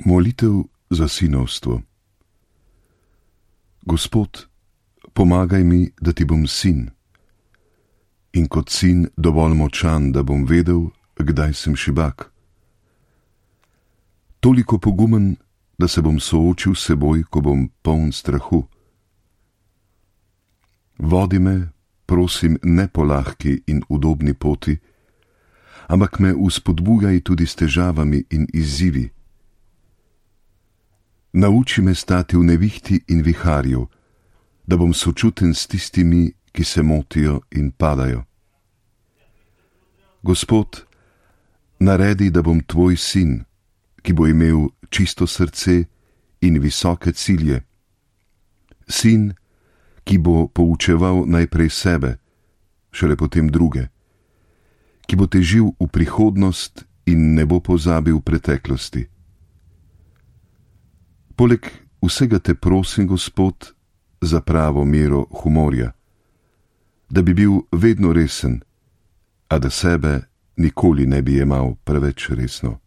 Molitev za sinovstvo. Gospod, pomagaj mi, da ti bom sin, in kot sin dovolj močan, da bom vedel, kdaj sem šibak. Toliko pogumen, da se bom soočil s seboj, ko bom poln strahu. Vodi me, prosim, ne po lahki in udobni poti, ampak me vzpodbujaj tudi s težavami in izzivi. Nauči me stati v nevihti in viharju, da bom sočuten s tistimi, ki se motijo in padajo. Gospod, naredi, da bom tvoj sin, ki bo imel čisto srce in visoke cilje. Sin, ki bo poučeval najprej sebe, šele potem druge, ki bo težil v prihodnost in ne bo pozabil preteklosti. Poleg vsega te prosim, Gospod, za pravo mero humorja, da bi bil vedno resen, a da sebe nikoli ne bi jemal preveč resno.